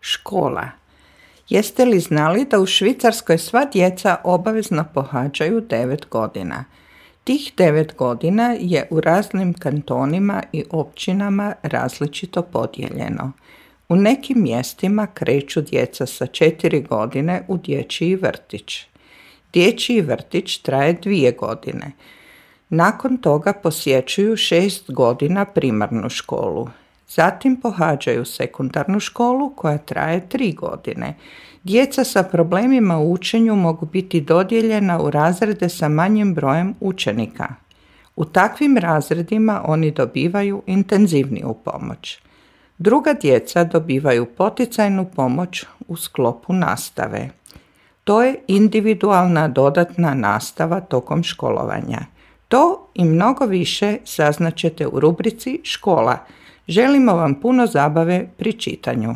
Škola. Jeste li znali da u Švicarskoj sva djeca obavezno pohađaju 9 godina? Tih 9 godina je u raznim kantonima i općinama različito podijeljeno. U nekim mjestima kreću djeca sa 4 godine u dječji vrtić. Dječji vrtić traje 2 godine. Nakon toga posjećuju 6 godina primarnu školu. Zatim pohađaju sekundarnu školu koja traje 3 godine. Djeca sa problemima u učenju mogu biti dodijeljena u razrede sa manjim brojem učenika. U takvim razredima oni dobivaju intenzivniju pomoć. Druga djeca dobivaju poticajnu pomoć u sklopu nastave. To je individualna dodatna nastava tokom školovanja. To i mnogo više saznaćete u rubrici Škola. Želimo vam puno zabave pri čitanju.